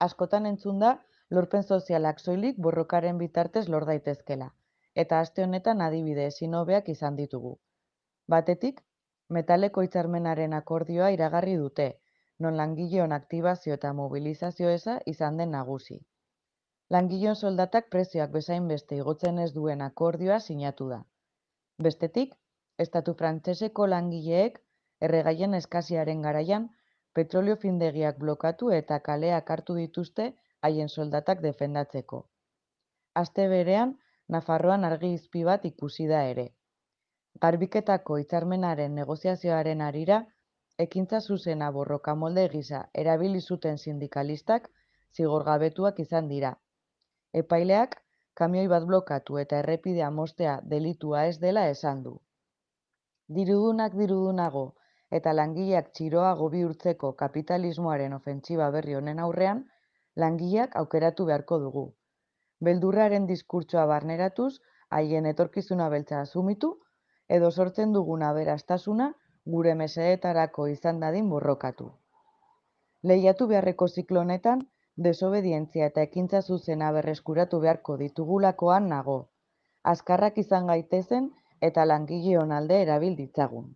Askotan entzun da lorpen sozialak soilik borrokaren bitartez lor daitezkela, eta aste honetan adibide ezin hobeak izan ditugu. Batetik, metaleko hitzarmenaren akordioa iragarri dute, non langileon aktibazio eta mobilizazio eza izan den nagusi. Langileon soldatak prezioak bezain beste igotzen ez duen akordioa sinatu da. Bestetik, estatu frantseseko langileek erregaien eskasiaren garaian petrolio findegiak blokatu eta kaleak hartu dituzte haien soldatak defendatzeko. Aste berean, Nafarroan argi izpi bat ikusi da ere. Garbiketako hitzarmenaren negoziazioaren harira, ekintza zuzena borroka molde gisa erabili zuten sindikalistak zigorgabetuak izan dira. Epaileak kamioi bat blokatu eta errepidea moztea delitua ez dela esan du. Dirudunak dirudunago eta langileak txiroago bihurtzeko kapitalismoaren ofentsiba berri honen aurrean, langileak aukeratu beharko dugu. Beldurraren diskurtsoa barneratuz, haien etorkizuna beltza asumitu, edo sortzen dugun aberastasuna gure mesedetarako izan dadin borrokatu. Lehiatu beharreko ziklo honetan, desobedientzia eta ekintza zuzena berreskuratu beharko ditugulakoan nago. Azkarrak izan gaitezen eta langileon alde erabil ditzagun.